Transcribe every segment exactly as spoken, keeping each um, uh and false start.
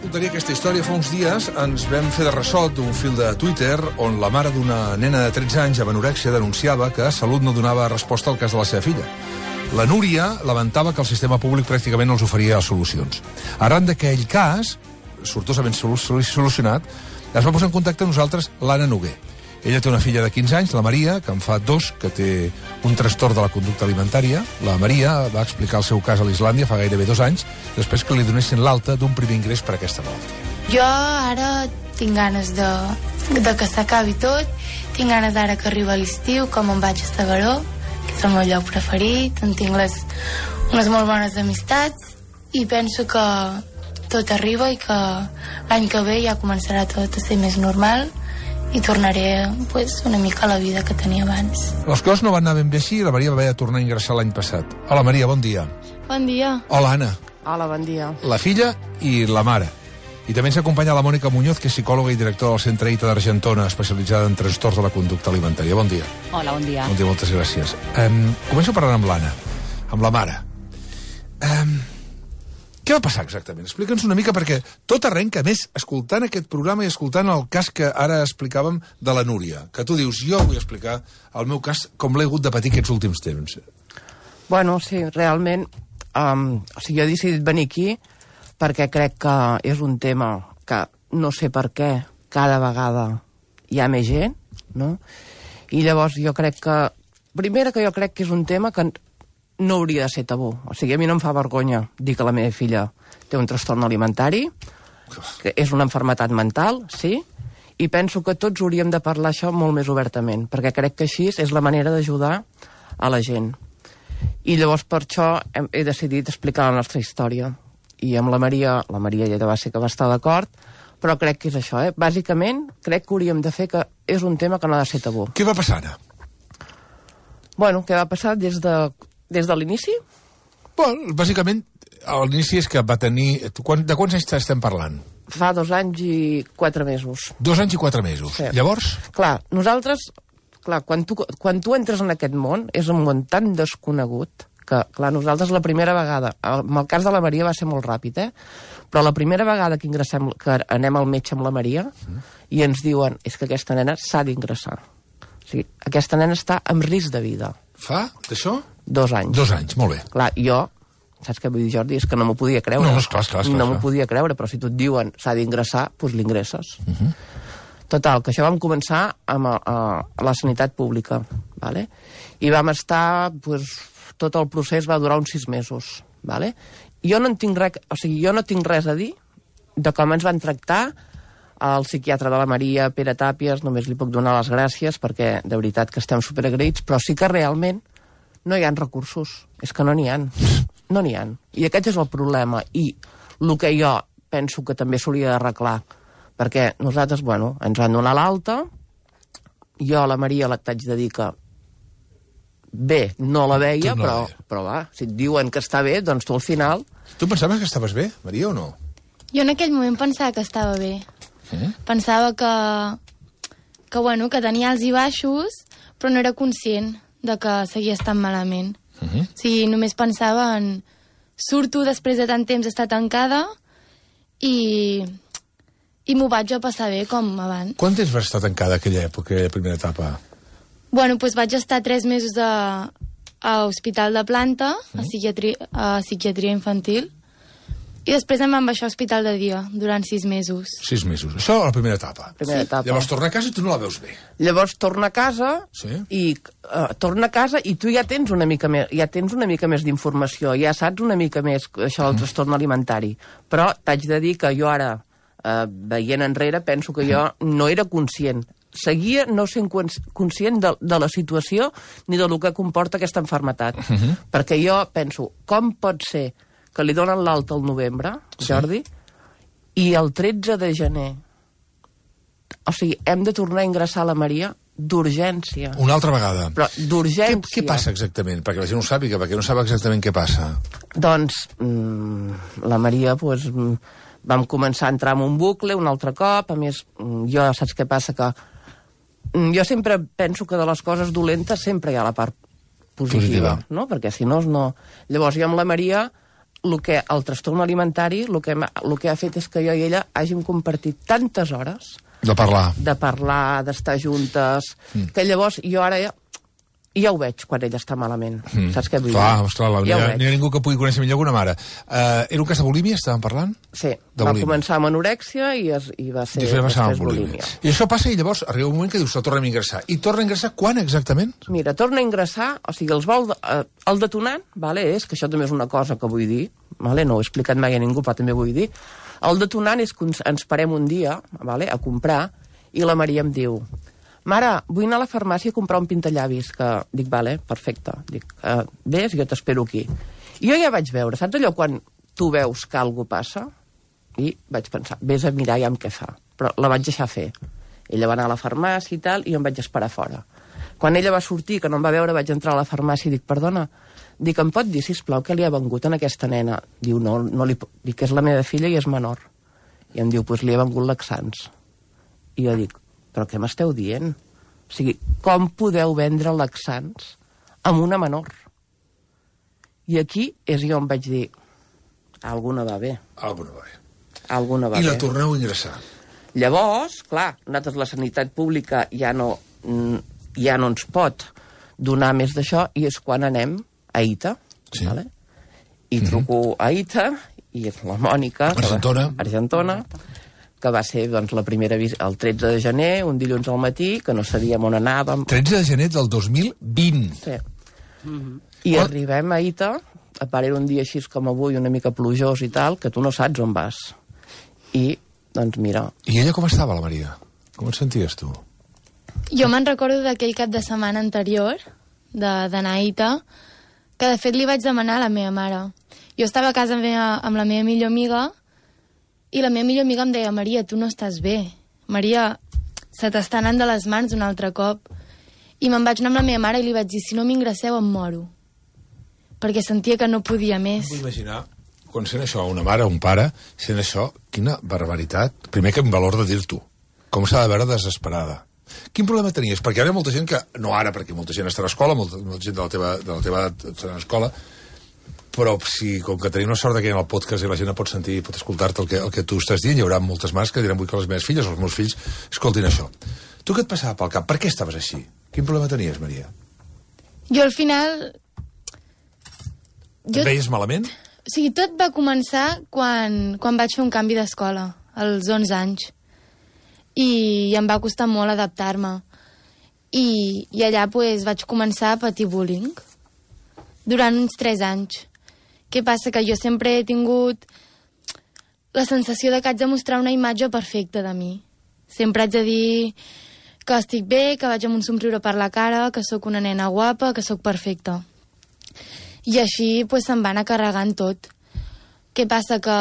contaria aquesta història. Fa uns dies ens vam fer de ressò d'un fil de Twitter on la mare d'una nena de tretze anys amb anorèxia denunciava que Salut no donava resposta al cas de la seva filla. La Núria lamentava que el sistema públic pràcticament no els oferia solucions. Arran d'aquell cas, sortosament solucionat, es va posar en contacte amb nosaltres l'Anna Noguer. Ella té una filla de quinze anys, la Maria, que en fa dos, que té un trastorn de la conducta alimentària. La Maria va explicar el seu cas a l'Islàndia fa gairebé dos anys, després que li donessin l'alta d'un primer ingrés per aquesta malaltia. Jo ara tinc ganes de, de que s'acabi tot, tinc ganes d'ara que arriba l'estiu, com em vaig a Segaró, que és el meu lloc preferit, on tinc les, unes molt bones amistats, i penso que tot arriba i que l'any que ve ja començarà tot a ser més normal, i tornaré pues, una mica a la vida que tenia abans. Les coses no van anar ben bé així i la Maria va haver de tornar a ingressar l'any passat. Hola, Maria, bon dia. Bon dia. Hola, Anna. Hola, bon dia. La filla i la mare. I també ens acompanya la Mònica Muñoz, que és psicòloga i directora del Centre I T A d'Argentona, especialitzada en trastorns de la conducta alimentària. Bon dia. Hola, bon dia. Bon dia, moltes gràcies. Um, començo parlant amb l'Anna, amb la mare. Um, Què va passar exactament? Explica'ns una mica, perquè tot arrenca, a més, escoltant aquest programa i escoltant el cas que ara explicàvem de la Núria, que tu dius, jo vull explicar el meu cas com l'he hagut de patir aquests últims temps. Bueno, sí, realment, um, o sigui, jo he decidit venir aquí perquè crec que és un tema que no sé per què cada vegada hi ha més gent, no? I llavors jo crec que, primera que jo crec que és un tema que no hauria de ser tabú. O sigui, a mi no em fa vergonya dir que la meva filla té un trastorn alimentari, que és una malaltia mental, sí, i penso que tots hauríem de parlar això molt més obertament, perquè crec que així és la manera d'ajudar a la gent. I llavors per això he, he decidit explicar la nostra història. I amb la Maria, la Maria ja va ser que va estar d'acord, però crec que és això, eh? Bàsicament, crec que hauríem de fer que és un tema que no ha de ser tabú. Què va passar ara? Bueno, què va passar des de... Des de l'inici? Bueno, bàsicament, a l'inici és que va tenir... Quan, de quants anys estem parlant? Fa dos anys i quatre mesos. Dos anys i quatre mesos. Sí. Llavors? Clar, nosaltres... Clar, quan tu, quan tu entres en aquest món, és un món tan desconegut que, clar, nosaltres la primera vegada... Amb el cas de la Maria va ser molt ràpid, eh? Però la primera vegada que ingressem, que anem al metge amb la Maria, mm. i ens diuen, és que aquesta nena s'ha d'ingressar. O sigui, aquesta nena està en risc de vida. Fa, d'això? Dos anys. Dos anys, molt bé. Clar, jo, saps què vull dir, Jordi? És que no m'ho podia creure. No, no, esclar, esclar, esclar. No m'ho podia creure, però si tu et diuen s'ha d'ingressar, doncs l'ingresses. Uh -huh. Total, que això vam començar amb a, a, a la sanitat pública, ¿vale? I vam estar, doncs, tot el procés va durar uns sis mesos, ¿vale? Jo no en tinc res, o sigui, jo no tinc res a dir de com ens van tractar el psiquiatre de la Maria, Pere Tàpies, només li puc donar les gràcies perquè de veritat que estem superagraïts, però sí que realment no hi ha recursos, és que no n'hi ha, no n'hi ha. I aquest és el problema, i el que jo penso que també s'hauria d'arreglar, perquè nosaltres, bueno, ens van donar l'alta, jo a la Maria t'haig de dir que bé, no la veia, no però, la veia. però va, si et diuen que està bé, doncs tu al final... Tu pensaves que estaves bé, Maria, o no? Jo en aquell moment pensava que estava bé. Eh? Pensava que, que, bueno, que tenia alts i baixos, però no era conscient de que seguia estant malament. Uh -huh. O sigui, només pensava en... Surto després de tant temps estar tancada i... i m'ho vaig a passar bé com abans. Quant temps vas estar tancada aquella època, aquella primera etapa? Bueno, doncs vaig estar tres mesos a, a Hospital de Planta, uh -huh. a, psiquiatria, a psiquiatria infantil, i després em van baixar a Hospital de Dia durant sis mesos. Sis mesos. Això a la primera etapa. Primera Sí. etapa. Llavors torna a casa i tu no la veus bé. Llavors torna a casa, Sí. i uh, torna a casa i tu ja tens una mica més, ja tens una mica més d'informació, ja saps una mica més això del trastorn alimentari. Però t'haig de dir que jo ara, uh, veient enrere, penso que jo no era conscient. Seguia no sent conscient de, de la situació ni de lo que comporta aquesta malaltia. Uh -huh. Perquè jo penso, com pot ser que li donen l'alta al novembre, Jordi, sí. i el tretze de gener, o sigui, hem de tornar a ingressar a la Maria d'urgència. Una altra vegada. Però d'urgència. Què, què passa exactament? Perquè la gent no ho sàpiga, perquè no sap exactament què passa. Doncs mmm, la Maria, doncs, mm, vam començar a entrar en un bucle un altre cop. A més, mm, jo saps què passa? Que mm, jo sempre penso que de les coses dolentes sempre hi ha la part positiva, positiva. No? Perquè si no, no... Llavors jo amb la Maria el, que, el trastorn alimentari el que, el que ha fet és que jo i ella hàgim compartit tantes hores de parlar, de parlar, d'estar juntes, mm. que llavors jo ara ja, ja ho veig quan ella està malament. Mm. Saps què vull clar, dir? Esclar, la, ja n'hi ha ningú que pugui conèixer millor que una mare. Uh, era un cas de bulímia, estàvem parlant? Sí, de va bulímia. començar amb anorèxia i, es, i va ser després, després bulímia. bulímia. I això passa i llavors arriba un moment que dius, se torna a ingressar. I torna a ingressar quan exactament? Mira, torna a ingressar, o sigui, els vol, eh, el detonant, vale, és, que això també és una cosa que vull dir, vale, no ho he explicat mai a ningú, però també vull dir, el detonant és que ens parem un dia, vale, a comprar, i la Maria em diu, mare, vull anar a la farmàcia a comprar un pintallavis, que dic, vale, perfecte, dic, uh, ves, jo t'espero aquí. I jo ja vaig veure, saps allò quan tu veus que alguna passa? I vaig pensar, vés a mirar ja amb què fa. Però la vaig deixar fer. Ella va anar a la farmàcia i tal, i jo em vaig esperar fora. Quan ella va sortir, que no em va veure, vaig entrar a la farmàcia i dic, perdona, dic, em pot dir, sisplau, què li ha vengut a aquesta nena? Diu, no, no li... Dic, que és la meva filla i és menor. I em diu, doncs pues li ha vengut laxants. I jo dic, però què m'esteu dient? O sigui, com podeu vendre laxants amb una menor? I aquí és jo em vaig dir, alguna va bé. Alguna va bé. Alguna va I bé. la torneu a ingressar. Llavors, clar, nosaltres la sanitat pública ja no, ja no ens pot donar més d'això i és quan anem a Ita. Sí. Vale? I truco mm-hmm. a Ita i és la Mònica. Argentona. Argentona. Que va ser doncs, la primera visita el tretze de gener, un dilluns al matí, que no sabíem on anàvem. tretze de gener del dos mil vint. Sí. Mm-hmm. I oh. arribem a Ita, a part era un dia així com avui, una mica plujós i tal, que tu no saps on vas. I, doncs mira... I ella com estava, la Maria? Com et senties tu? Jo me'n recordo d'aquell cap de setmana anterior, d'anar a Ita, que de fet li vaig demanar a la meva mare. Jo estava a casa meva, amb la meva millor amiga, i la meva millor amiga em deia, Maria, tu no estàs bé. Maria, se t'està anant de les mans un altre cop. I me'n vaig anar amb la meva mare i li vaig dir, si no m'ingresseu em moro. Perquè sentia que no podia més. Vull imaginar, quan sent això, una mare o un pare, sent això, quina barbaritat. Primer que en valor de dir-t'ho. Com s'ha de veure desesperada. Quin problema tenies? Perquè ara hi ha molta gent que... No ara, perquè molta gent està a l'escola, molta, molta gent de la teva, de la teva edat està a l'escola, però si, com que tenim la sort que hi ha el podcast i la gent pot sentir i pot escoltar-te el, que, el que tu estàs dient, hi haurà moltes mares que diran, vull que les meves filles o els meus fills escoltin això. Tu què et passava pel cap? Per què estaves així? Quin problema tenies, Maria? Jo al final... Jo... Et veies malament? O sigui, tot va començar quan, quan vaig fer un canvi d'escola, als onze anys. I em va costar molt adaptar-me. I, i allà pues, vaig començar a patir bullying durant uns tres anys. Què passa? Que jo sempre he tingut la sensació de que haig de mostrar una imatge perfecta de mi. Sempre haig de dir que estic bé, que vaig amb un somriure per la cara, que sóc una nena guapa, que sóc perfecta. I així pues, se'm va anar carregant tot. Què passa? Que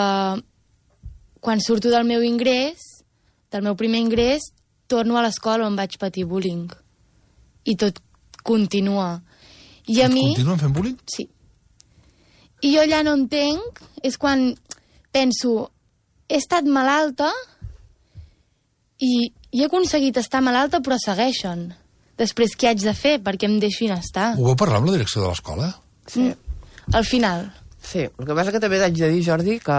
quan surto del meu ingrés, del meu primer ingrés, torno a l'escola on vaig patir bullying. I tot continua. I a Et mi... continuen fent bullying? Sí. I jo allà no entenc, és quan penso, he estat malalta i, i he aconseguit estar malalta, però segueixen. Després, què haig de fer perquè em deixin estar? Ho vau parlar amb la direcció de l'escola? Sí. Mm. Al final. Sí, el que passa que també haig de dir, Jordi, que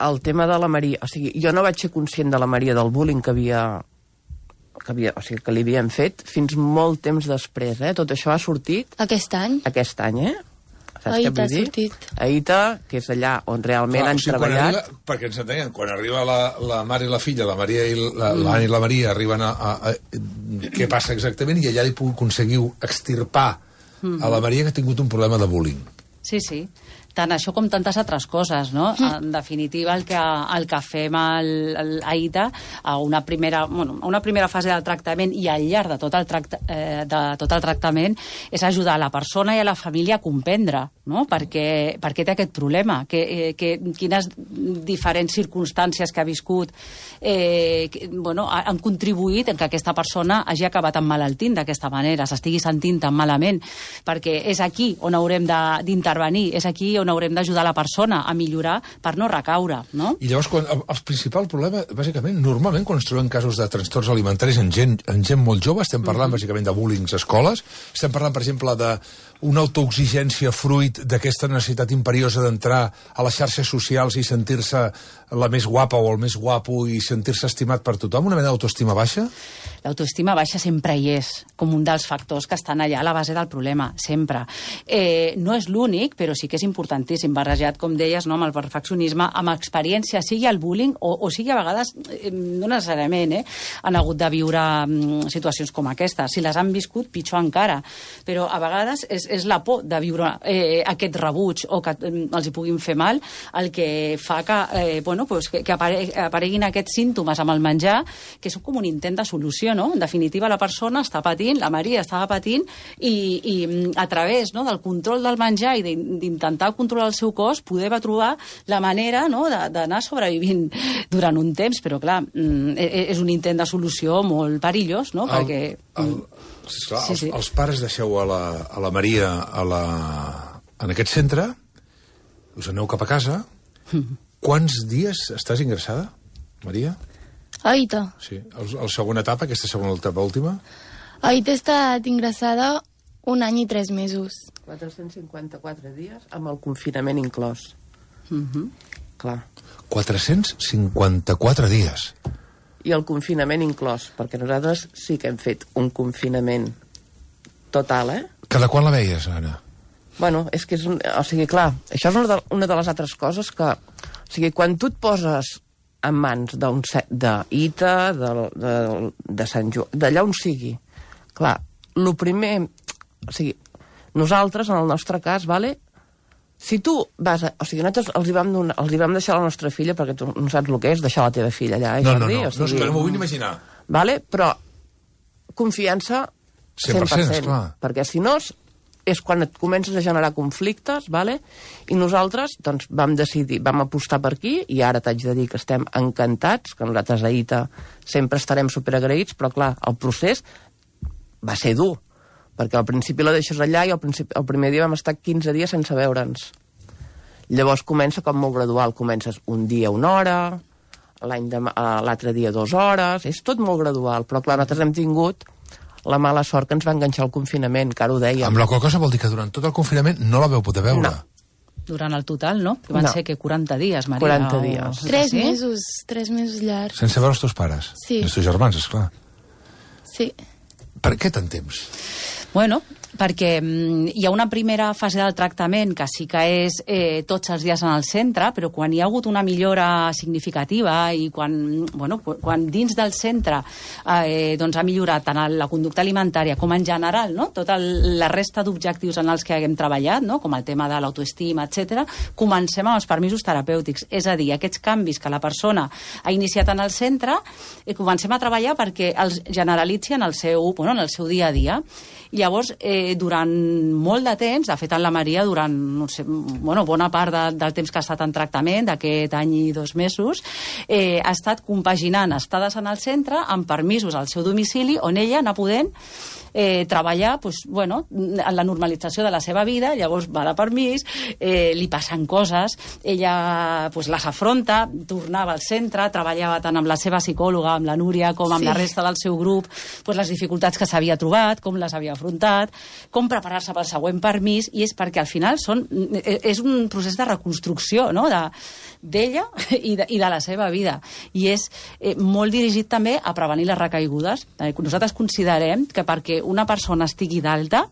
el tema de la Maria... O sigui, jo no vaig ser conscient de la Maria del bullying que havia... Que, havia, o sigui, que li havien fet fins molt temps després, eh? Tot això ha sortit... Aquest any? Aquest any, eh? Saps a què Ita vull dir? ha sortit. A Ita, que és allà on realment Clar, han o sigui, treballat... Arriba, perquè ens entenguem, quan arriba la, la mare i la filla, la Maria i la, mm. l'Anna i la Maria arriben a, a, a... Què passa exactament? I allà li aconseguiu extirpar mm. a la Maria que ha tingut un problema de bullying. Sí, sí. Tant això com tantes altres coses, no? En definitiva, el que, el que fem al, al, a Ita, a una, primera, bueno, a una primera fase del tractament i al llarg de tot, el tracta, eh, de tot el tractament, és ajudar a la persona i a la família a comprendre, no? Per què, per què té aquest problema, que, eh, que, quines diferents circumstàncies que ha viscut eh, que, bueno, han contribuït en que aquesta persona hagi acabat emmalaltint d'aquesta manera, s'estigui sentint tan malament, perquè és aquí on haurem d'intervenir, és aquí on on haurem d'ajudar la persona a millorar per no recaure, no? I llavors, quan, el, el principal problema, bàsicament, normalment, quan ens trobem casos de trastorns alimentaris en gent, en gent molt jove, estem parlant, mm-hmm. bàsicament, de bullying a escoles, estem parlant, per exemple, d'una autoexigència fruit d'aquesta necessitat imperiosa d'entrar a les xarxes socials i sentir-se la més guapa o el més guapo i sentir-se estimat per tothom, una mena d'autoestima baixa? L'autoestima baixa sempre hi és, com un dels factors que estan allà a la base del problema, sempre. Eh, no és l'únic, però sí que és importantíssim, barrejat, com deies, no, amb el perfeccionisme, amb experiència, sigui el bullying o, o sigui a vegades, eh, no necessàriament, eh, han hagut de viure mm, situacions com aquesta. Si les han viscut, pitjor encara. Però a vegades és, és la por de viure eh, aquest rebuig o que eh, els hi puguin fer mal el que fa que, eh, bueno, pues, que, que apareguin aquests símptomes amb el menjar, que són com un intent de solució, no? En definitiva, la persona està patint, la Maria estava patint, i, i a través, no, del control del menjar i d'intentar controlar el seu cos, poder va trobar la manera, no, d'anar sobrevivint durant un temps, però clar, és un intent de solució molt perillós, no? El, Perquè... el, esclar, sí, els, sí. els pares deixeu a la, a la Maria a la, en aquest centre, us aneu cap a casa. Quants dies estàs ingressada, Maria? Aita. Sí, el, el segona etapa, aquesta segona etapa última? Aita he estat ingressada un any i tres mesos. quatre-cents cinquanta-quatre dies amb el confinament inclòs. Uh-huh. Clar. quatre-cents cinquanta-quatre dies. I el confinament inclòs, perquè nosaltres sí que hem fet un confinament total, eh? Cada quan la veies, Anna? Bueno, és que és un... O sigui, clar, això és una de, una de les altres coses que... O sigui, quan tu et poses en mans d'un d'Ita, de, de, de Sant Joan, d'allà on sigui, clar, el primer... O sigui, nosaltres, en el nostre cas, vale, si tu vas a... O sigui, nosaltres els hi vam, donar, els hi vam deixar a la nostra filla, perquè tu no saps el que és deixar la teva filla allà, eh, no, Jordi? no, no, o sigui, no, és que no m'ho vull imaginar. Vale, però confiança cent per cent, cent per cent, esclar. Perquè si no és quan et comences a generar conflictes, vale? I nosaltres doncs, vam decidir, vam apostar per aquí, i ara t'haig de dir que estem encantats, que nosaltres a Ita sempre estarem superagraïts, però clar, el procés va ser dur, perquè al principi la deixes allà i al principi, el primer dia vam estar quinze dies sense veure'ns. Llavors comença com molt gradual, comences un dia una hora, l'altre dia dues hores, és tot molt gradual, però clar, nosaltres hem tingut la mala sort que ens va enganxar el confinament, que ara ho dèiem. Amb la qual cosa vol dir que durant tot el confinament no la veu poder veure. No. Durant el total, no? Que van no. ser que quaranta dies, Maria. quaranta o... dies. Tres sí? mesos, tres mesos llargs. Sense veure els teus pares? Sí. Els teus germans, esclar. Sí. Per què tant temps? Bueno, perquè mm, hi ha una primera fase del tractament que sí que és eh, tots els dies en el centre, però quan hi ha hagut una millora significativa i quan, bueno, quan dins del centre eh, doncs ha millorat tant la conducta alimentària com en general, no? Tota la resta d'objectius en els que haguem treballat, no? Com el tema de l'autoestima, etcètera, comencem amb els permisos terapèutics. És a dir, aquests canvis que la persona ha iniciat en el centre, eh, comencem a treballar perquè els generalitzi en el seu, bueno, en el seu dia a dia. I llavors, eh, durant molt de temps, de fet en la Maria, durant no sé, bueno, bona part de, del temps que ha estat en tractament, d'aquest any i dos mesos, eh, ha estat compaginant estades en el centre amb permisos al seu domicili, on ella anar podent eh, treballar pues, bueno, en la normalització de la seva vida. Llavors va de permís, eh, li passen coses, ella pues, les afronta, tornava al centre, treballava tant amb la seva psicòloga, amb la Núria, com amb sí. la resta del seu grup, pues, les dificultats que s'havia trobat, com les havia afrontat, com preparar-se pel següent permís, i és perquè al final són, és un procés de reconstrucció, no?, de, d'ella i de, i de la seva vida. I és eh, molt dirigit també a prevenir les recaigudes. Eh, nosaltres considerem que perquè una persona estigui d'alta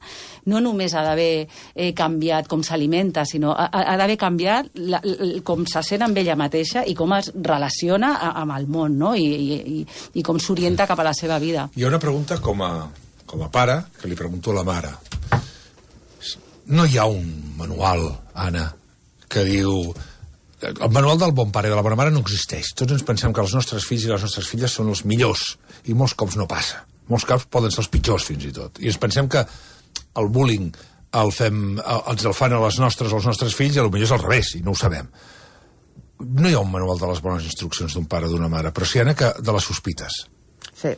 no només ha d'haver eh, canviat com s'alimenta, sinó ha, ha d'haver canviat la, la, com se sent amb ella mateixa i com es relaciona a, amb el món, no? I, i, i com s'orienta cap a la seva vida. Hi ha una pregunta com a, com a pare que li pregunto a la mare. No hi ha un manual, Anna, que diu... El manual del bon pare i de la bona mare no existeix. Tots ens pensem que els nostres fills i les nostres filles són els millors, i molts cops no passa. Molts cops poden ser els pitjors, fins i tot. I ens pensem que el bullying el fem, ens el fan a les nostres o als nostres fills, i potser és al revés, i no ho sabem. No hi ha un manual de les bones instruccions d'un pare o d'una mare, però sí, Anna, que de les sospites. Sí.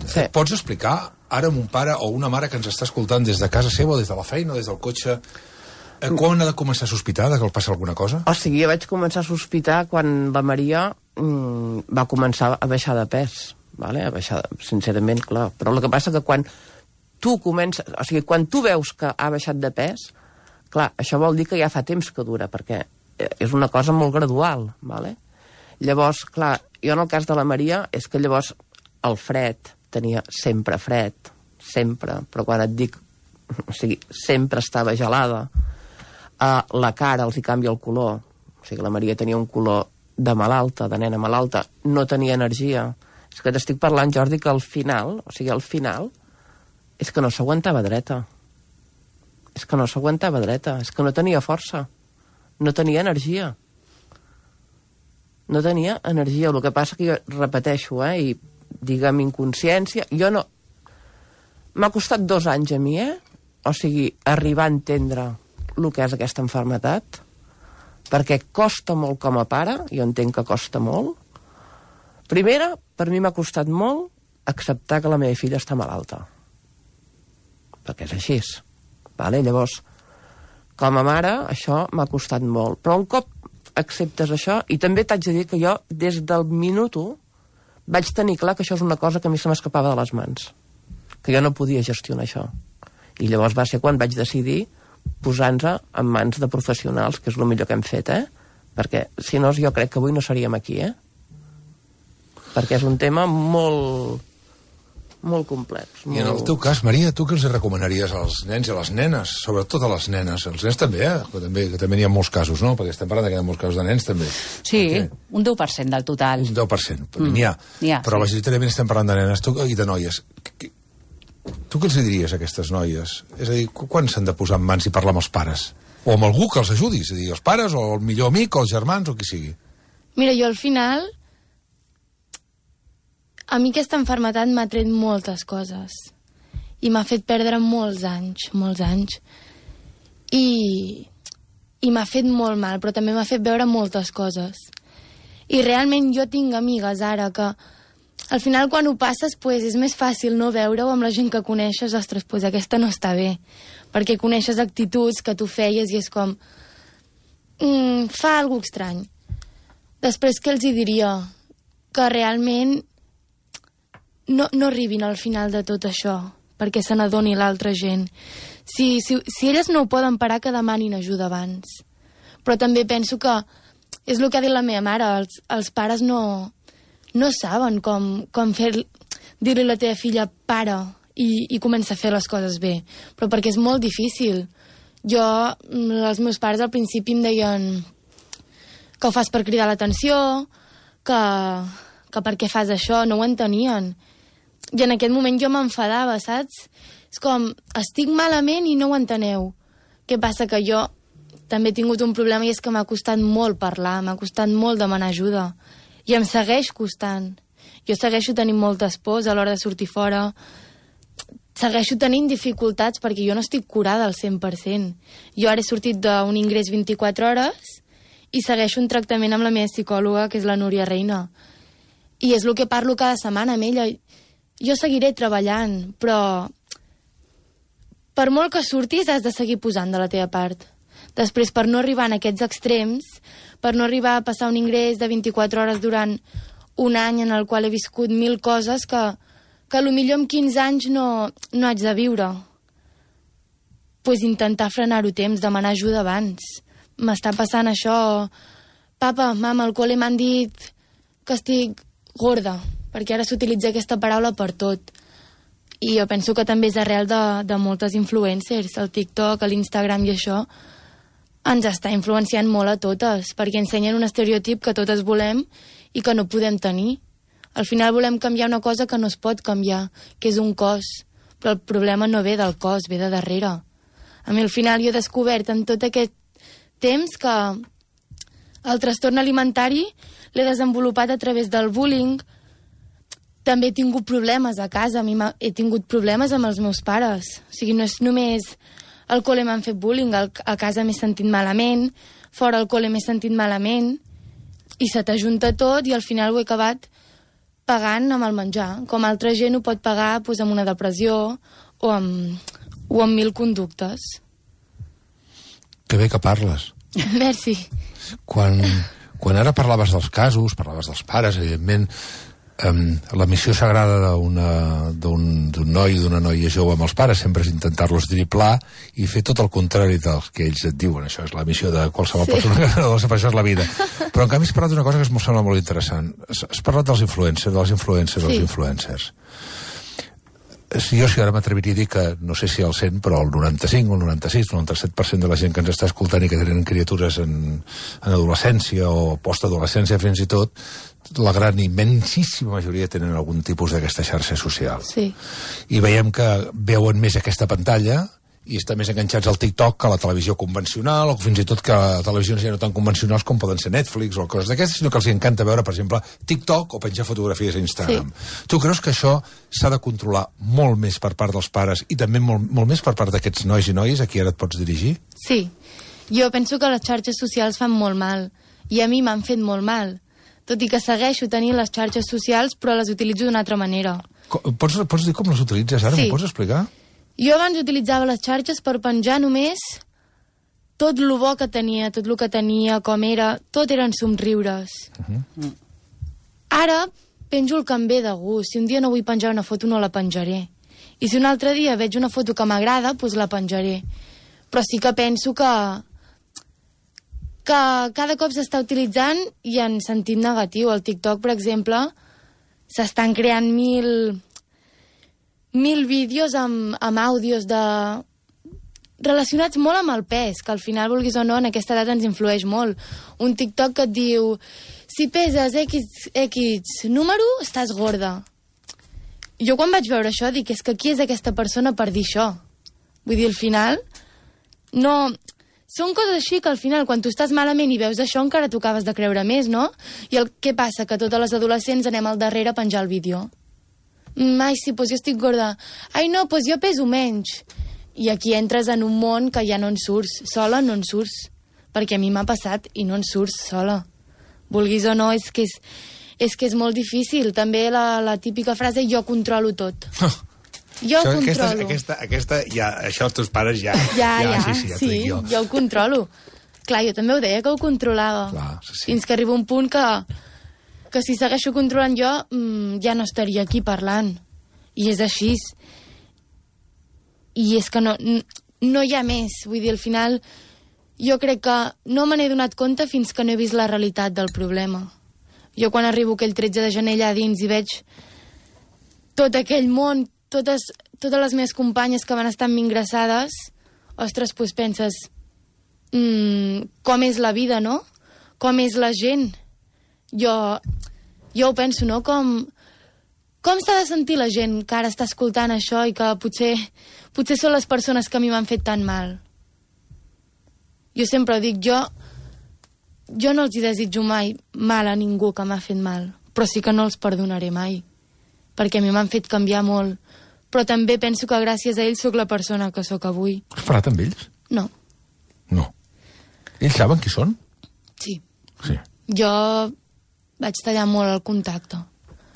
sí. Pots explicar ara a un pare o una mare que ens està escoltant des de casa seva, o des de la feina, o des del cotxe, Quan ha de començar a sospitar que el passa alguna cosa? O sigui, jo vaig començar a sospitar quan la Maria mm, va començar a baixar de pes, vale? A baixar, sincerament, clar. Però el que passa que quan tu comences... O sigui, quan tu veus que ha baixat de pes, clar, això vol dir que ja fa temps que dura, perquè és una cosa molt gradual, vale? Llavors, clar, jo en el cas de la Maria és que llavors el fred, tenia sempre fred, sempre, però quan et dic, o sigui, sempre estava gelada, Uh, la cara els hi canvia el color, o sigui, la Maria tenia un color de malalta, de nena malalta, no tenia energia. És que t'estic parlant, Jordi, que al final, o sigui, al final, és que no s'aguantava dreta. És que no s'aguantava dreta, és que no tenia força, no tenia energia. No tenia energia, el que passa que jo repeteixo, eh, i diguem inconsciència, jo no... M'ha costat dos anys a mi, eh? O sigui, arribar a entendre el que és aquesta malaltia, perquè costa molt com a pare, jo entenc que costa molt. Primera, per mi m'ha costat molt acceptar que la meva filla està malalta, perquè és així, vale? Llavors, com a mare, això m'ha costat molt, però un cop acceptes això, i també t'haig de dir que jo, des del minut u, vaig tenir clar que això és una cosa que a mi se m'escapava de les mans, que jo no podia gestionar això, i llavors va ser quan vaig decidir posar-nos en mans de professionals, que és el millor que hem fet, eh? Perquè, si no, jo crec que avui no seríem aquí, eh? Perquè és un tema molt... molt complex. Molt... I en el teu cas, Maria, tu què els recomanaries als nens i a les nenes? Sobretot a les nenes. Els nens també, eh? Que també, que també n'hi ha molts casos, no? Perquè estem parlant que hi ha molts casos de nens, també. Sí, okay. Un deu per cent del total. Un deu per cent, mm. n'hi ha. ha. Però sí. majoritàriament estem parlant de nenes i de noies. Tu què els diries a aquestes noies? És a dir, quan s'han de posar en mans i parlar amb els pares? O amb algú que els ajudi, és a dir, els pares, o el millor amic, o els germans, o qui sigui. Mira, jo al final... A mi aquesta malaltia m'ha tret moltes coses. I m'ha fet perdre molts anys, molts anys. I... I m'ha fet molt mal, però també m'ha fet veure moltes coses. I realment jo tinc amigues ara que... Al final, quan ho passes, pues, és més fàcil no veure-ho amb la gent que coneixes. Ostres, pues, aquesta no està bé. Perquè coneixes actituds que tu feies i és com... Mm, fa alguna cosa estrany. Després, què els hi diria? Que realment no, no arribin al final de tot això, perquè se n'adoni l'altra gent. Si, si, si elles no ho poden parar, que demanin ajuda abans. Però també penso que és el que ha dit la meva mare. Els, els pares no... no saben com, com fer, dir-li a la teva filla para i, i comença a fer les coses bé. Però perquè és molt difícil. Jo, els meus pares al principi em deien que ho fas per cridar l'atenció, que, que per què fas això, no ho entenien. I en aquest moment jo m'enfadava, saps? És com, estic malament i no ho enteneu. Què passa? Que jo també he tingut un problema i és que m'ha costat molt parlar, m'ha costat molt demanar ajuda. I em segueix costant. Jo segueixo tenint moltes pors a l'hora de sortir fora. Segueixo tenint dificultats perquè jo no estic curada al cent per cent. Jo ara he sortit d'un ingrés vint-i-quatre hores i segueixo un tractament amb la meva psicòloga, que és la Núria Reina. I és el que parlo cada setmana amb ella. Jo seguiré treballant, però per molt que surtis has de seguir posant de la teva part. Després, per no arribar en aquests extrems, per no arribar a passar un ingrés de vint-i-quatre hores durant un any en el qual he viscut mil coses que, que potser amb quinze anys no, no haig de viure. Pues intentar frenar-ho temps, demanar ajuda abans. M'està passant això... Papa, mama, al col·le m'han dit que estic gorda, perquè ara s'utilitza aquesta paraula per tot. I jo penso que també és arrel de, de moltes influencers, el TikTok, l'Instagram i això... ens està influenciant molt a totes, perquè ensenyen un estereotip que totes volem i que no podem tenir. Al final volem canviar una cosa que no es pot canviar, que és un cos. Però el problema no ve del cos, ve de darrere. A mi al final jo he descobert en tot aquest temps que el trastorn alimentari l'he desenvolupat a través del bullying. També he tingut problemes a casa, a mi he tingut problemes amb els meus pares. O sigui, no és només... Al col·le m'han fet bullying, a casa m'he sentit malament, fora al col·le m'he sentit malament, i se t'ajunta tot i al final ho he acabat pagant amb el menjar, com altra gent ho pot pagar doncs, amb una depressió o amb, o amb mil conductes. Que bé que parles. Merci. Quan, quan ara parlaves dels casos, parlaves dels pares, evidentment, Um, la missió sagrada d'un noi i d'una noia jove amb els pares sempre és intentar-los driblar i fer tot el contrari del que ells et diuen. Això és la missió de qualsevol sí. persona que no per això és la vida. Però en canvi has parlat d'una cosa que em sembla molt interessant. Has, has parlat dels influencers, de les influències, sí. dels influencers. Si jo si ara m'atreviria a dir que, no sé si el cent, però el noranta-cinc, el noranta-sis, el noranta-set per cent de la gent que ens està escoltant i que tenen criatures en, en adolescència o postadolescència fins i tot, la gran immensíssima majoria tenen algun tipus d'aquesta xarxa social. Sí. I veiem que veuen més aquesta pantalla i estan més enganxats al TikTok que a la televisió convencional, o fins i tot que a televisions ja no tan convencionals com poden ser Netflix o coses d'aquestes, sinó que els encanta veure, per exemple, TikTok o penjar fotografies a Instagram. Sí. Tu creus que això s'ha de controlar molt més per part dels pares i també molt, molt més per part d'aquests nois i noies a qui ara et pots dirigir? Sí. Jo penso que les xarxes socials fan molt mal i a mi m'han fet molt mal. Tot i que segueixo tenint les xarxes socials, però les utilitzo d'una altra manera. Pots, pots dir com les utilitzes ara? Sí. M'ho pots explicar? Jo abans utilitzava les xarxes per penjar només tot el bo que tenia, tot el que tenia, com era, tot eren somriures. Uh -huh. Ara penjo el que em ve de gust. Si un dia no vull penjar una foto, no la penjaré. I si un altre dia veig una foto que m'agrada, doncs la penjaré. Però sí que penso que que cada cop s'està utilitzant i en sentit negatiu. Al TikTok, per exemple, s'estan creant mil, mil vídeos amb, amb àudios de... relacionats molt amb el pes, que al final, vulguis o no, en aquesta edat ens influeix molt. Un TikTok que et diu si peses X, X número, estàs gorda. Jo quan vaig veure això dic, és que qui és aquesta persona per dir això? Vull dir, al final, no... Són coses així que al final, quan tu estàs malament i veus això, encara t'ho acabes de creure més, no? I el què passa? Que totes les adolescents anem al darrere a penjar el vídeo. Mm, ai, sí, doncs jo estic gorda. Ai, no, doncs jo peso menys. I aquí entres en un món que ja no en surts. Sola no en surts. Perquè a mi m'ha passat i no en surts sola. Vulguis o no, és que és, és, que és molt difícil. També la, la típica frase, jo controlo tot. Jo ho controlo. Aquesta, aquesta, ja, això els teus pares ja... Ja, ja, sí, sí, ja sí, jo. jo ho controlo. Clar, jo també ho deia que ho controlava. Clar, sí, sí. Fins que arriba un punt que, que si segueixo controlant jo, mmm, ja no estaria aquí parlant. I és així. I és que no, no hi ha més. Vull dir, al final, jo crec que no me n'he donat compte fins que no he vist la realitat del problema. Jo quan arribo aquell tretze de gener allà dins i veig tot aquell món, totes, totes les meves companyes que van estar amb mi ingressades, ostres, doncs penses, mmm, com és la vida, no? Com és la gent? Jo, jo ho penso, no? Com, com s'ha de sentir la gent que ara està escoltant això i que potser, potser són les persones que a mi m'han fet tan mal? Jo sempre ho dic, jo, jo no els hi desitjo mai mal a ningú que m'ha fet mal, però sí que no els perdonaré mai, perquè a mi m'han fet canviar molt. Però també penso que gràcies a ells sóc la persona que sóc avui. Has parlat amb ells? No. No. Ells saben qui són? Sí. Sí. Jo vaig tallar molt el contacte.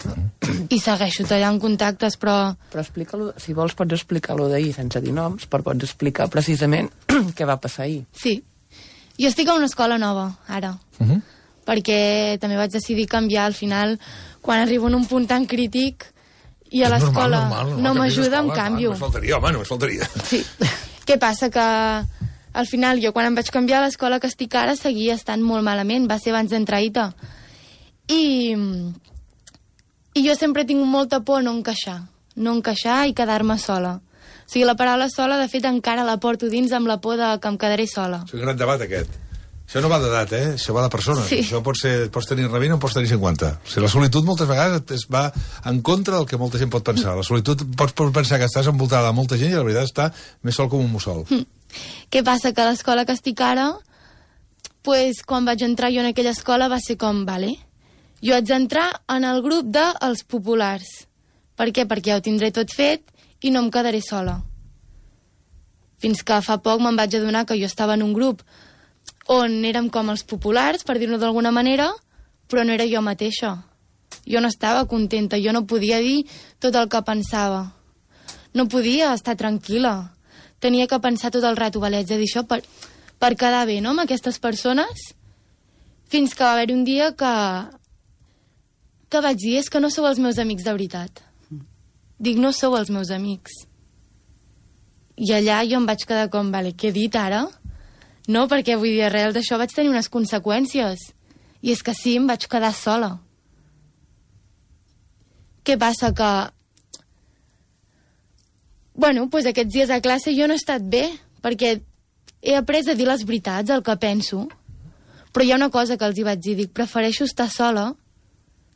Mm. I segueixo tallant contactes, però... Però explica-lo, si vols pots explicar-lo d'ahir sense dir noms, però pots explicar precisament què va passar ahir. Sí. Jo estic a una escola nova, ara. Uh -huh. Perquè també vaig decidir canviar al final, quan arribo en un punt tan crític... I a l'escola no m'ajuda, em canvio. Només faltaria, home, només faltaria. Sí. Què passa? Que al final jo quan em vaig canviar a l'escola que estic ara seguia estant molt malament. Va ser abans d'entrar a I T A. I, I jo sempre tinc molta por no encaixar. No encaixar i quedar-me sola. O sigui, la paraula sola, de fet, encara la porto dins amb la por de que em quedaré sola. És un gran debat, aquest. Això no va d'edat, eh? Això va de persones. Sí. Això pot ser, pots tenir rebina o pots tenir cinquanta. O sigui, la solitud moltes vegades es va en contra del que molta gent pot pensar. La solitud pots pensar que estàs envoltada de molta gent i la veritat està més sol com un mussol. Mm. Què passa? Que a l'escola que estic ara, pues, quan vaig entrar jo en aquella escola va ser com, vale, jo haig d'entrar en el grup dels populars. Per què? Perquè ja ho tindré tot fet i no em quedaré sola. Fins que fa poc me'n vaig adonar que jo estava en un grup on érem com els populars, per dir-ho d'alguna manera, però no era jo mateixa. Jo no estava contenta, jo no podia dir tot el que pensava. No podia estar tranquil·la. Tenia que pensar tot el rato, vale, haig de dir això per, per quedar bé, no?, amb aquestes persones, fins que va haver un dia que, que vaig dir, és que no sou els meus amics de veritat. Dic, no sou els meus amics. I allà jo em vaig quedar com, vale, què he dit ara? No, perquè vull dir, arrel d'això vaig tenir unes conseqüències. I és que sí, em vaig quedar sola. Què passa? Que... Bueno, doncs aquests dies a classe jo no he estat bé, perquè he après a dir les veritats, el que penso. Però hi ha una cosa que els hi vaig dir, dic, prefereixo estar sola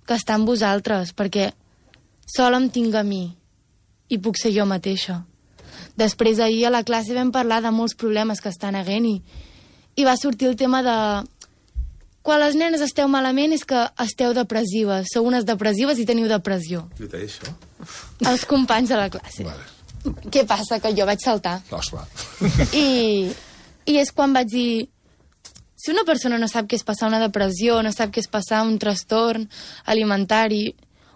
que estar amb vosaltres, perquè sola em tinc a mi i puc ser jo mateixa. Després, ahir a la classe vam parlar de molts problemes que estan havent i, i va sortir el tema de... Quan les nenes esteu malament és que esteu depressives. Sou unes depressives i teniu depressió. Qui t'ha dit això? Els companys de la classe. Vale. Què passa? Que jo vaig saltar. Ostres. I, I és quan vaig dir... Si una persona no sap què és passar una depressió, no sap què és passar un trastorn alimentari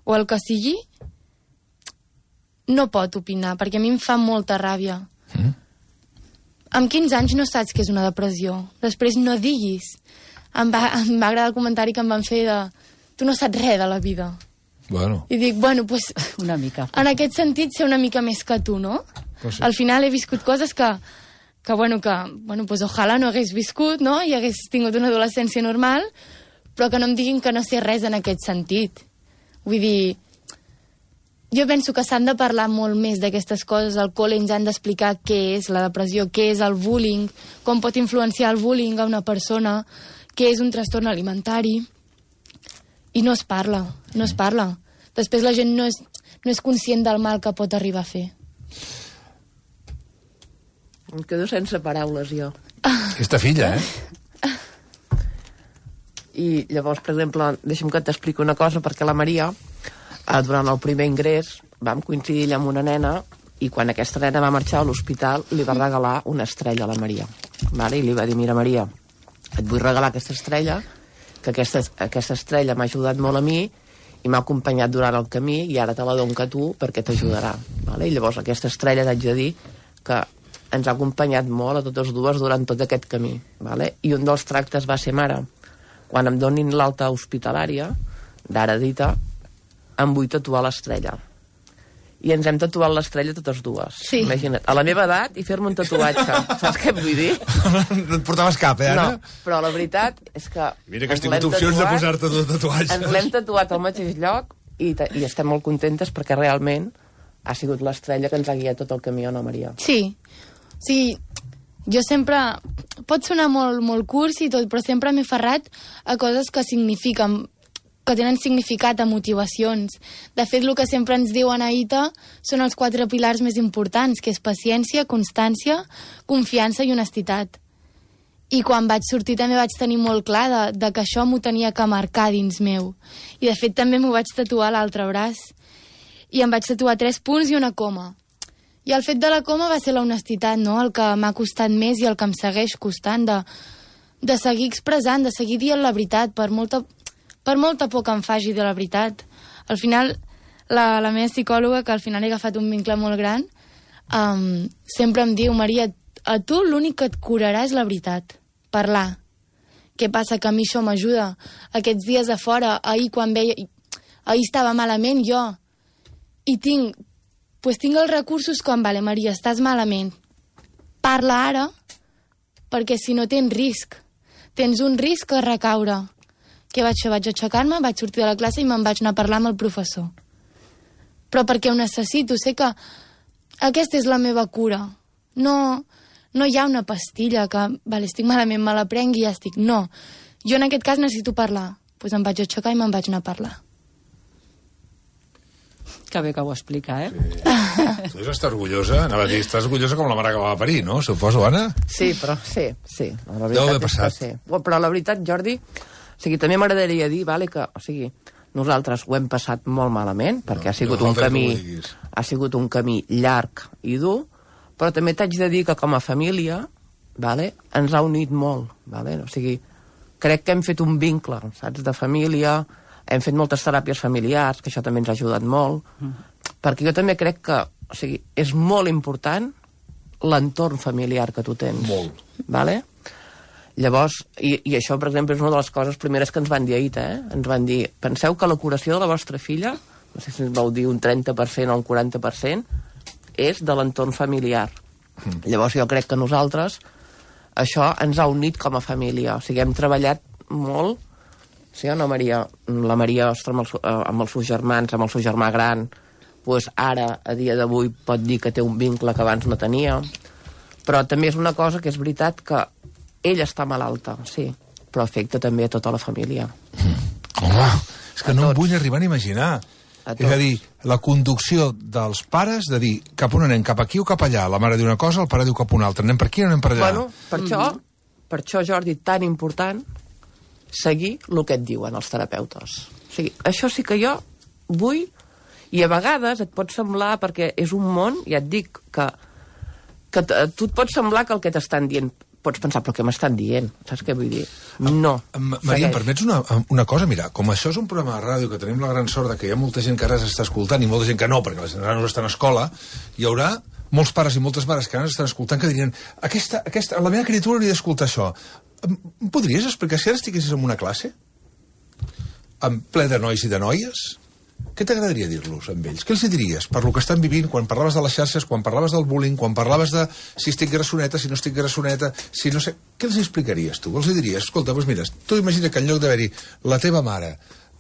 o el que sigui, no pot opinar, perquè a mi em fa molta ràbia. Mm. Amb quinze anys no saps què és una depressió. Després no diguis. Em va, em va agradar el comentari que em van fer de... Tu no saps res de la vida. Bueno. I dic, bueno, pues... Una mica. En aquest sentit, ser una mica més que tu, no? Pues sí. Al final he viscut coses que... que, bueno, que, bueno, pues ojalà no hagués viscut, no?, i hagués tingut una adolescència normal, però que no em diguin que no sé res en aquest sentit. Vull dir, jo penso que s'han de parlar molt més d'aquestes coses, al col·le ens han d'explicar què és la depressió, què és el bullying, com pot influenciar el bullying a una persona, què és un trastorn alimentari, i no es parla, no es parla. Després la gent no és, no és conscient del mal que pot arribar a fer. Em quedo sense paraules, jo. Aquesta filla, eh? I llavors, per exemple, deixa'm que t'expliqui una cosa, perquè la Maria, eh, durant el primer ingrés, vam coincidir amb una nena, i quan aquesta nena va marxar a l'hospital, li va regalar una estrella a la Maria. Vale? I li va dir, mira, Maria, et vull regalar aquesta estrella, que aquesta, aquesta estrella m'ha ajudat molt a mi, i m'ha acompanyat durant el camí, i ara te la dono a tu perquè t'ajudarà. Vale? I llavors aquesta estrella t'haig de dir que ens ha acompanyat molt a totes dues durant tot aquest camí. Vale? I un dels tractes va ser, mare, quan em donin l'alta hospitalària, d'ara dita, em vull tatuar l'estrella. I ens hem tatuat l'estrella totes dues. Sí. Imagina't, a la meva edat i fer-me un tatuatge. Saps què et vull dir? No et portaves cap, eh, Anna? No, però la veritat és que... Mira que has tingut opcions de posar-te dos tatuatges. Ens l'hem tatuat al mateix lloc i, i estem molt contentes perquè realment ha sigut l'estrella que ens ha guiat tot el camí, no, Maria? Sí. Sí, jo sempre... Pot sonar molt, molt cursi i tot, però sempre m'he ferrat a coses que signifiquen, que tenen significat, a motivacions. De fet, el que sempre ens diuen a I T A són els quatre pilars més importants, que és paciència, constància, confiança i honestitat. I quan vaig sortir també vaig tenir molt clar de, de que això m'ho tenia que marcar dins meu. I de fet també m'ho vaig tatuar a l'altre braç. I em vaig tatuar tres punts i una coma. I el fet de la coma va ser la honestitat, no?, el que m'ha costat més i el que em segueix costant, de, de seguir expressant, de seguir dient la veritat, per molta, per molta por que em faci de la veritat. Al final, la, la meva psicòloga, que al final he agafat un vincle molt gran, um, sempre em diu, Maria, a tu l'únic que et curarà és la veritat, parlar. Què passa? Que a mi això m'ajuda. Aquests dies a fora, ahir quan veia... Ahir estava malament jo, i tinc... pues tinc els recursos com, vale, Maria, estàs malament. Parla ara, perquè si no tens risc. Tens un risc a recaure. Què vaig fer? Vaig aixecar-me, vaig sortir de la classe i me'n vaig anar a parlar amb el professor. Però perquè ho necessito, sé que aquesta és la meva cura. No, no hi ha una pastilla que, vale, estic malament, me la prenc i ja estic. No, jo en aquest cas necessito parlar. Doncs pues em vaig aixecar i me'n vaig anar a parlar. Que bé que ho explica, eh? Sí. Tu estàs orgullosa, anava a dir, estàs orgullosa com la mare que va a parir, no? Suposo, Anna? Sí, però sí, sí. La Deu haver és passat. que sí. Però la veritat, Jordi, o sigui, també m'agradaria dir, vale, que, o sigui, nosaltres ho hem passat molt malament, perquè No, ha sigut no un falta que camí, ho diguis. ha sigut un camí llarg i dur, però també t'haig de dir que com a família, vale, ens ha unit molt, vale? O sigui, crec que hem fet un vincle, saps, de família, hem fet moltes teràpies familiars, que això també ens ha ajudat molt, mm. perquè jo també crec que, o sigui, és molt important l'entorn familiar que tu tens. Molt. Vale? Llavors, i, i això, per exemple, és una de les coses primeres que ens van dir ahir, eh? Ens van dir, penseu que la curació de la vostra filla, no sé si ens vau dir un trenta per cent o un quaranta per cent, és de l'entorn familiar. Mm. Llavors jo crec que nosaltres això ens ha unit com a família. O sigui, hem treballat molt. Sí o no, Maria? La Maria, ostres, amb, el, amb els seus germans, amb el seu germà gran, pues ara, a dia d'avui, pot dir que té un vincle que abans no tenia. Però també és una cosa que és veritat que ella està malalta, sí, però afecta també a tota la família. Mm. Home, és que a no tots. Em vull arribar a imaginar. A és a dir, la conducció dels pares de dir cap on anem, cap aquí o cap allà. La mare diu una cosa, el pare diu cap una altra. Anem per aquí o anem per allà? Bueno, per mm-hmm. això, per això, Jordi, tan important seguir el que et diuen els terapeutes. O sigui, això sí que jo vull, i a vegades et pot semblar, perquè és un món, ja et dic, que, que a tu et pot semblar que el que t'estan dient pots pensar, però què m'estan dient? Saps què vull dir? No. Maria, em permets una, una cosa? Mira, com això és un programa de ràdio que tenim la gran sort de que hi ha molta gent que ara s'està escoltant i molta gent que no, perquè les nanos estan a escola, hi haurà molts pares i moltes mares que ara estan escoltant que dirien aquesta, aquesta, la meva criatura hauria d'escoltar això. Em podries explicar si ara estiguessis en una classe? En ple de nois i de noies? Què t'agradaria dir-los amb ells? Què els diries per lo que estan vivint, quan parlaves de les xarxes, quan parlaves del bullying, quan parlaves de si estic grassoneta, si no estic grassoneta, si no sé... Què els explicaries tu? Els diries, escolta, doncs mira, tu imagina que en lloc d'haver-hi la teva mare,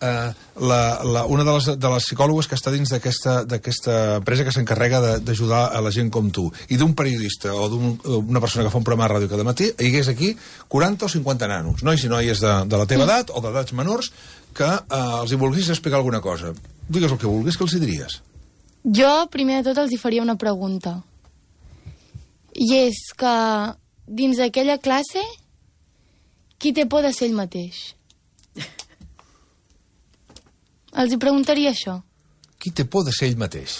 eh, la, la, una de les, de les psicòlogues que està dins d'aquesta empresa que s'encarrega d'ajudar a la gent com tu, i d'un periodista o d'una persona que fa un programa de ràdio cada matí, hi hagués aquí quaranta o cinquanta nanos, nois i noies de, de la teva edat o d'edats menors, que eh, els hi volguis explicar alguna cosa. Digues el que vulguis, què els hi diries? Jo, primer de tot, els hi faria una pregunta. I és que, dins d'aquella classe, qui té por de ser ell mateix? Els hi preguntaria això. Qui té por de ser ell mateix?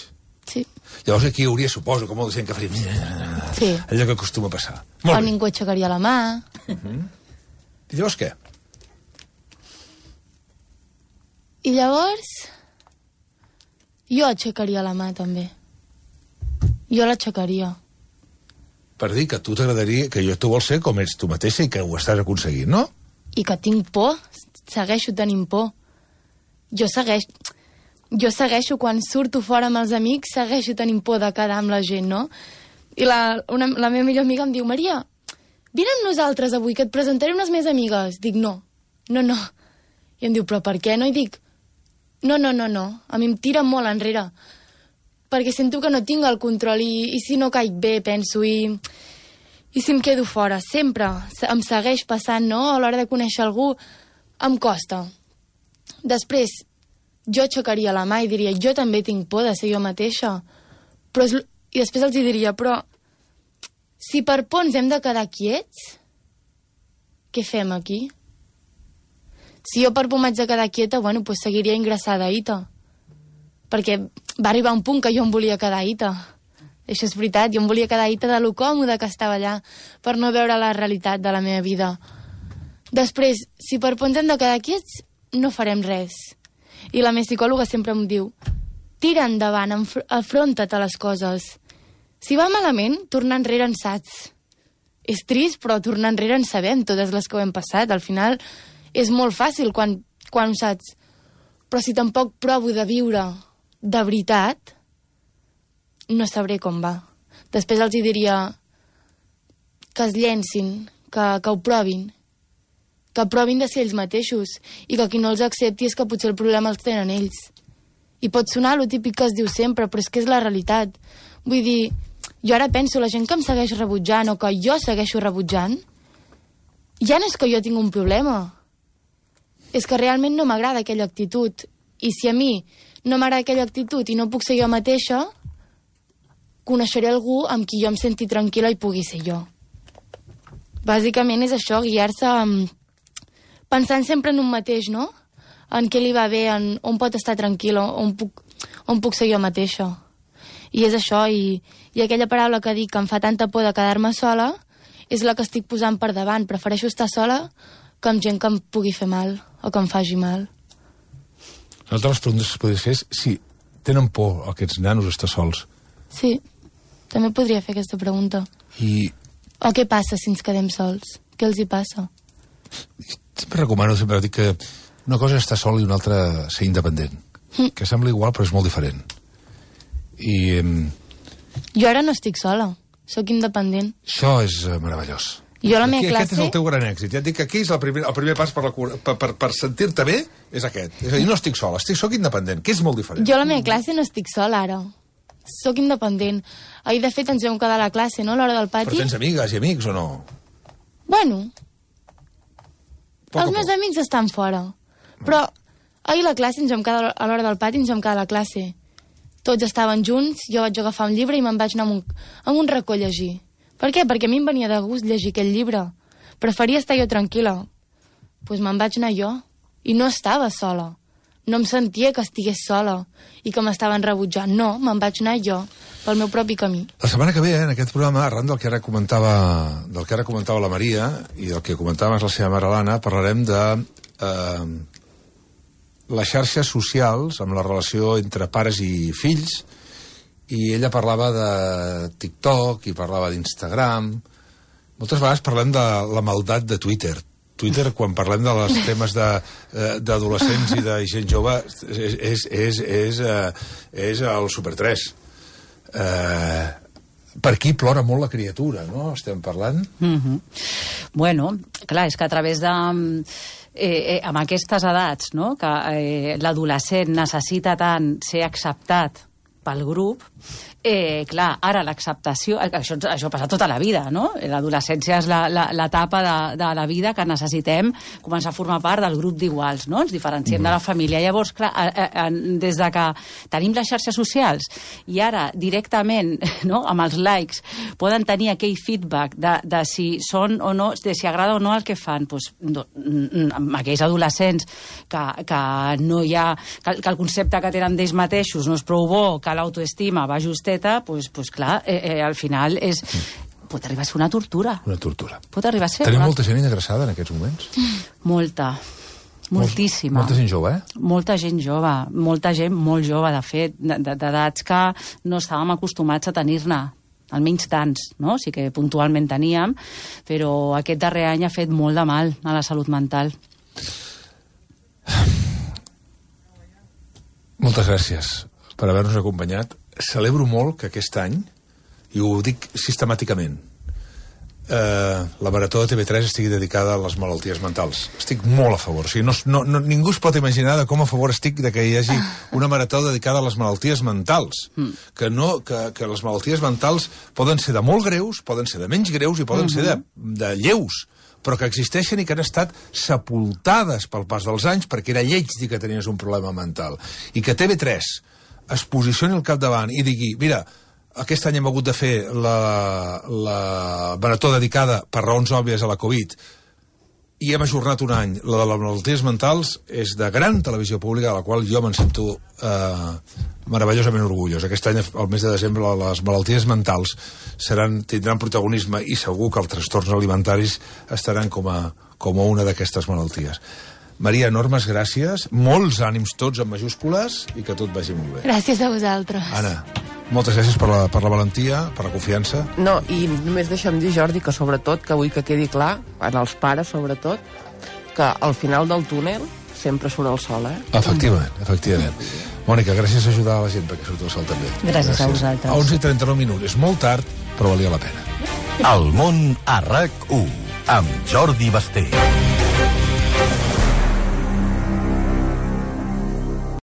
Sí. Llavors aquí hi hauria, suposo, que molta gent que faria... Sí. Allò que acostuma a passar. Molt o bé. Ningú aixecaria la mà. Uh-huh. I llavors què? I llavors... Jo aixecaria la mà, també. Jo l'aixecaria. Per dir que tu t'agradaria, que jo tu vols ser com ets tu mateixa i que ho estàs aconseguint, no? I que tinc por, segueixo tenint por. Jo segueixo... Jo segueixo, quan surto fora amb els amics, segueixo tenint por de quedar amb la gent, no? I la, una, la meva millor amiga em diu, Maria, vine amb nosaltres avui, que et presentaré unes més amigues. Dic, no, no, no. I em diu, però per què no? I dic, no, no, no, no, a mi em tira molt enrere, perquè sento que no tinc el control i, i si no caic bé, penso, i, i si em quedo fora, sempre em segueix passant, no? A l'hora de conèixer algú em costa. Després, jo aixecaria la mà i diria, jo també tinc por de ser jo mateixa, però és, i després els diria, però si per por ens hem de quedar quiets, què fem aquí? Si jo per por m'haig de quedar quieta, bueno, pues seguiria ingressada a I T A. Perquè va arribar un punt que jo em volia quedar a I T A. Això és veritat, jo em volia quedar a I T A de lo còmode que estava allà, per no veure la realitat de la meva vida. Després, si per por ens hem de quedar quiets, no farem res. I la meva psicòloga sempre em diu, tira endavant, afronta't a les coses. Si va malament, tornar enrere en saps. És trist, però tornar enrere en sabem totes les que ho hem passat. Al final... és molt fàcil quan, quan ho saps. Però si tampoc provo de viure de veritat, no sabré com va. Després els hi diria que es llencin, que, que ho provin, que provin de ser ells mateixos i que qui no els accepti és que potser el problema els tenen ells. I pot sonar lo típic que es diu sempre, però és que és la realitat. Vull dir, jo ara penso, la gent que em segueix rebutjant o que jo segueixo rebutjant, ja no és que jo tinc un problema, és que realment no m'agrada aquella actitud. I si a mi no m'agrada aquella actitud i no puc ser jo mateixa, coneixeré algú amb qui jo em senti tranquil·la i pugui ser jo. Bàsicament és això, guiar-se pensant sempre en un mateix, no? En què li va bé, en on pot estar tranquil, on puc, on puc ser jo mateixa. I és això, i, i aquella paraula que dic que em fa tanta por de quedar-me sola és la que estic posant per davant. Prefereixo estar sola que amb gent que em pugui fer mal o que em faci mal. Una de les preguntes que es podria fer és si tenen por aquests nanos a estar sols. Sí. També podria fer aquesta pregunta. I... O què passa si ens quedem sols? Què els hi passa? Sempre recomano, sempre dic que una cosa és estar sol i una altra ser independent. Mm. Que sembla igual, però és molt diferent. I... Eh... Jo ara no estic sola. Sóc independent. Això és uh, meravellós. Jo la meva aquí, classe... Aquest és el teu gran èxit. Ja et dic que aquí és el primer, el primer pas per, la, per, per, per sentir-te bé, és aquest. És a dir, no estic sola, estic, soc independent, que és molt diferent. Jo a la meva classe no estic sola, ara. Sóc independent. Ahir, de fet, ens vam quedar a la classe, no?, a l'hora del pati. Però tens amigues i amics, o no? Bueno, poc els meus amics estan fora. Però ahir a la classe ens vam quedar a l'hora del pati, ens vam quedar a la classe. Tots estaven junts, jo vaig agafar un llibre i me'n vaig anar amb un, amb un racó a llegir. Per què? Perquè a mi em venia de gust llegir aquell llibre. Preferia estar jo tranquil·la. Doncs pues me'n vaig anar jo. I no estava sola. No em sentia que estigués sola i que m'estaven rebutjant. No, me'n vaig anar jo, pel meu propi camí. La setmana que ve, en aquest programa, arran del que ara comentava, del que ara comentava la Maria i del que comentava la seva mare l'Anna, parlarem de eh, les xarxes socials amb la relació entre pares i fills, i ella parlava de TikTok i parlava d'Instagram. Moltes vegades parlem de la maldat de Twitter. Twitter, quan parlem de les temes d'adolescents i de gent jove, és, és, és, és, és el Super tres. Eh, per aquí plora molt la criatura, no? Estem parlant? Mm-hmm. Bueno, clar, és que a través de... Eh, eh, amb aquestes edats, no?, que eh, l'adolescent necessita tant ser acceptat pel grup, eh, clar, ara l'acceptació, això, això passa tota la vida, no? L'adolescència és l'etapa de, de la vida que necessitem començar a formar part del grup d'iguals, no? Ens diferenciem mm. de la família. Llavors, clar, a, a, des de que tenim les xarxes socials i ara directament, no?, amb els likes, poden tenir aquell feedback de, de si són o no, de si agrada o no el que fan, doncs, no, amb aquells adolescents que, que no hi ha, que, que el concepte que tenen d'ells mateixos no és prou bo, que l'autoestima va justeta, doncs, pues, clar, eh, eh, al final és... Pot arribar a ser una tortura. Una tortura. Pot arribar a ser... Tenim una... molta gent ingressada en aquests moments? Molta. Moltíssima. Molta gent jove, eh? Molta gent jove. Molta gent molt jove, de fet, d'edats que no estàvem acostumats a tenir-ne. Almenys tants, no? Sí que puntualment teníem, però aquest darrer any ha fet molt de mal a la salut mental. Moltes gràcies per haver-nos acompanyat. Celebro molt que aquest any, i ho dic sistemàticament, eh, la Marató de T V tres estigui dedicada a les malalties mentals. Estic molt a favor. O sigui, no, no, no, ningú es pot imaginar de com a favor estic de que hi hagi una Marató dedicada a les malalties mentals. Mm. Que, no, que, que les malalties mentals poden ser de molt greus, poden ser de menys greus i poden mm-hmm. ser de, de lleus, però que existeixen i que han estat sepultades pel pas dels anys perquè era lleig dir que tenies un problema mental. I que T V tres es posicioni al capdavant i digui, mira, aquest any hem hagut de fer la, la marató dedicada per raons òbvies a la Covid i hem ajornat un any. La de les malalties mentals és de gran televisió pública, de la qual jo me'n sento eh, meravellosament orgullós. Aquest any, al mes de desembre, les malalties mentals seran, tindran protagonisme i segur que els trastorns alimentaris estaran com a, com a una d'aquestes malalties. Maria, enormes gràcies, molts ànims tots en majúscules i que tot vagi molt bé. Gràcies a vosaltres. Anna, moltes gràcies per la, per la valentia, per la confiança. No, i només deixa'm dir, Jordi, que sobretot, que vull que quedi clar, en els pares sobretot, que al final del túnel sempre surt el sol, eh? Efectivament, efectivament. Mònica, gràcies a ajudar a la gent perquè surt el sol també. Gràcies, gràcies. a vosaltres. A onze i trenta-nou minuts, és molt tard, però valia la pena. El món a RAC u, amb Jordi Basté.